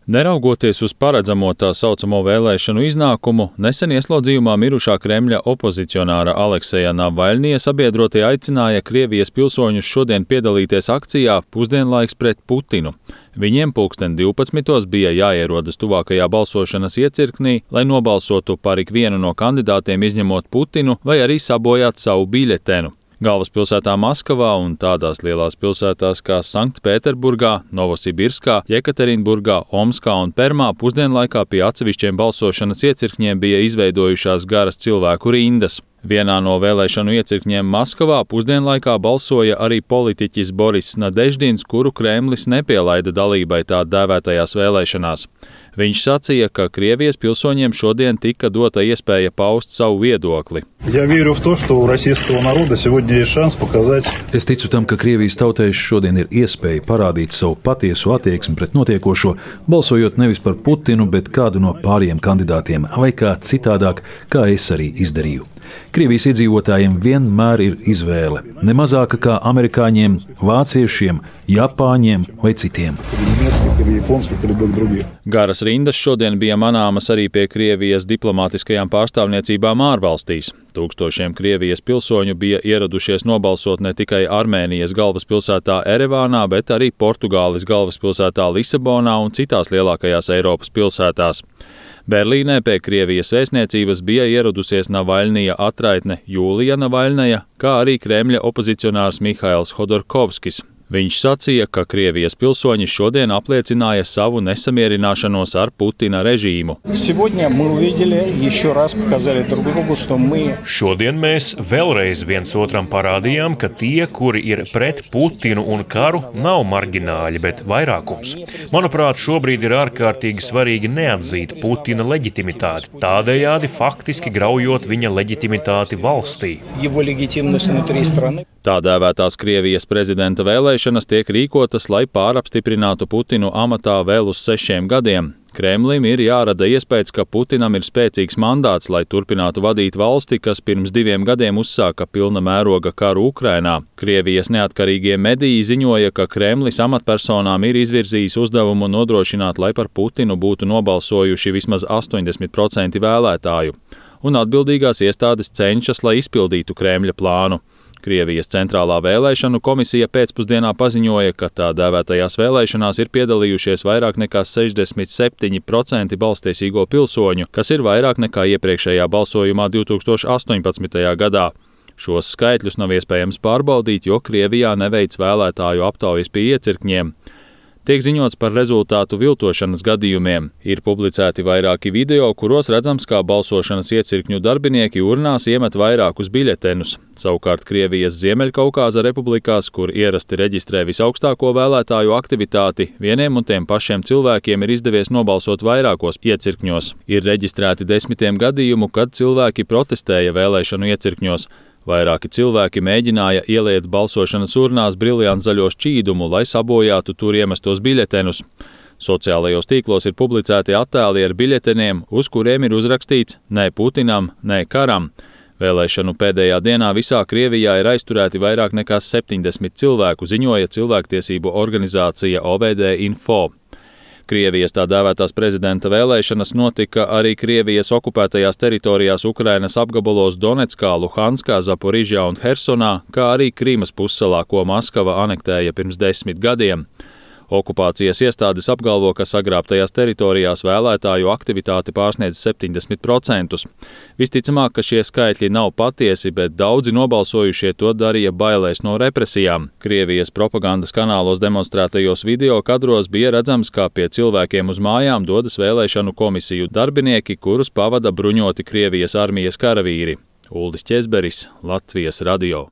Neraugoties uz paredzamo tā saucamo vēlēšanu iznākumu, nesen ieslodzījumā mirušā Kremļa opozicionāra Alekseja Navaļņija sabiedrotie aicināja Krievijas pilsoņus šodien piedalīties akcijā Pusdienlaiks pret Putinu. Viņiem 12. bija jāierodas tuvākajā balsošanas iecirknī, lai nobalsotu par ikvienu no kandidātiem izņemot Putinu vai arī sabojāt savu biļetenu. Galvaspilsētā Maskavā un tādās lielās pilsētās kā Sanktpēterburgā, Novosibirskā, Jekaterinburgā, Omskā un Permā pusdienlaikā pie atsevišķiem balsošanas iecirkņiem bija izveidojušās garas cilvēku rindas. Vienā no vēlēšanu iecirkņiem Maskavā pusdienlaikā balsoja arī politiķis Boris Nadeždins, kuru Kremlis nepielaida dalībai tā dēvētajās vēlēšanās. Viņš sacīja, ka Krievijas pilsoņiem šodien tika dota iespēja paust savu viedokli. Es ticu tam, ka Krievijas tautai šodien ir iespēja parādīt savu patiesu attieksmi pret notiekošo, balsojot nevis par Putinu, bet kādu no pārējiem kandidātiem, vai kā citādāk, kā es arī izdarīju. Krievijas iedzīvotājiem vienmēr ir izvēle, ne mazāka kā amerikāņiem, vāciešiem, japāņiem vai citiem. Garas rindas šodien bija manāmas arī pie Krievijas diplomātiskajām pārstāvniecībām ārvalstīs. Tūkstošiem Krievijas pilsoņu bija ieradušies nobalsot ne tikai Armēnijas galvaspilsētā Erevānā, bet arī Portugāles galvaspilsētā Lisabonā un citās lielākajās Eiropas pilsētās. Berlīnē pie Krievijas vēstniecības bija ieradusies Navaļņija atraitne Jūlija Navaļņaja, kā arī Kremļa opozicionārs Mihails Hodorkovskis. Viņš sacīja, ka Krievijas pilsoņi šodien apliecināja savu nesamierināšanos ar Putina režīmu. Šodien mēs vēlreiz viens otram parādījām, ka tie, kuri ir pret Putinu un karu, nav marģināļi, bet vairākums. Manuprāt, šobrīd ir ārkārtīgi svarīgi neatzīt Putina leģitimitāti, tādējādi faktiski graujot viņa leģitimitāti valstī. Tā dēvētās Krievijas prezidenta vēlēšanas tiek rīkotas, lai pārapstiprinātu Putinu amatā vēl uz 6 gadiem. Kremlim ir jārada iespējas, ka Putinam ir spēcīgs mandāts, lai turpinātu vadīt valsti, kas pirms 2 gadiem uzsāka pilna mēroga karu Ukrainā. Krievijas neatkarīgie mediji ziņoja, ka Kremlis amatpersonām ir izvirzījis uzdevumu nodrošināt, lai par Putinu būtu nobalsojuši vismaz 80% vēlētāju, un atbildīgās iestādes cenšas, lai izpildītu Kremļa plānu. Krievijas centrālā vēlēšanu komisija pēcpusdienā paziņoja, ka tā dēvētajās vēlēšanās ir piedalījušies vairāk nekā 67% balstiesīgo pilsoņu, kas ir vairāk nekā iepriekšējā balsojumā 2018. gadā. Šos skaitļus nav iespējams pārbaudīt, jo Krievijā neveic vēlētāju aptaujas pie iecirkņiem. Tiek ziņots par rezultātu viltošanas gadījumiem. Ir publicēti vairāki video, kuros redzams, kā balsošanas iecirkņu darbinieki urnās iemet vairākus biļetenus. Savukārt Krievijas Ziemeļkaukāza republikās, kur ierasti reģistrē visaugstāko vēlētāju aktivitāti, vieniem un tiem pašiem cilvēkiem ir izdevies nobalsot vairākos iecirkņos. Ir reģistrēti 10 gadījumu, kad cilvēki protestēja vēlēšanu iecirkņos. Vairāki cilvēki mēģināja ieliet balsošanas urnās briljanzaļo šķīdumu, lai sabojātu tur iemestos biļetenus. Sociālajos tīklos ir publicēti attēli ar biļeteniem, uz kuriem ir uzrakstīts "Nē Putinam, nē karam". Vēlēšanu pēdējā dienā visā Krievijā ir aizturēti vairāk nekā 70 cilvēku, ziņoja cilvēktiesību organizācija OVD Info. Krievijas tā dēvētās prezidenta vēlēšanas notika arī Krievijas okupētajās teritorijās Ukrainas apgabalos Donetskā, Luhanskā, Zaporižjā un Hersonā, kā arī Krīmas pussalā, ko Maskava anektēja pirms 10 gadiem. Okupācijas iestādes apgalvo, ka sagrābtajās teritorijās vēlētāju aktivitāte pārsniedz 70%. Visticamāk, ka šie skaitļi nav patiesi, bet daudzi nobalsojušie to darīja bailēs no represijām. Krievijas propagandas kanālos demonstrētajos video kadros bija redzams, kā pie cilvēkiem uz mājām dodas vēlēšanu komisiju darbinieki, kurus pavada bruņoti Krievijas armijas karavīri. Uldis Ķezberis, Latvijas radio.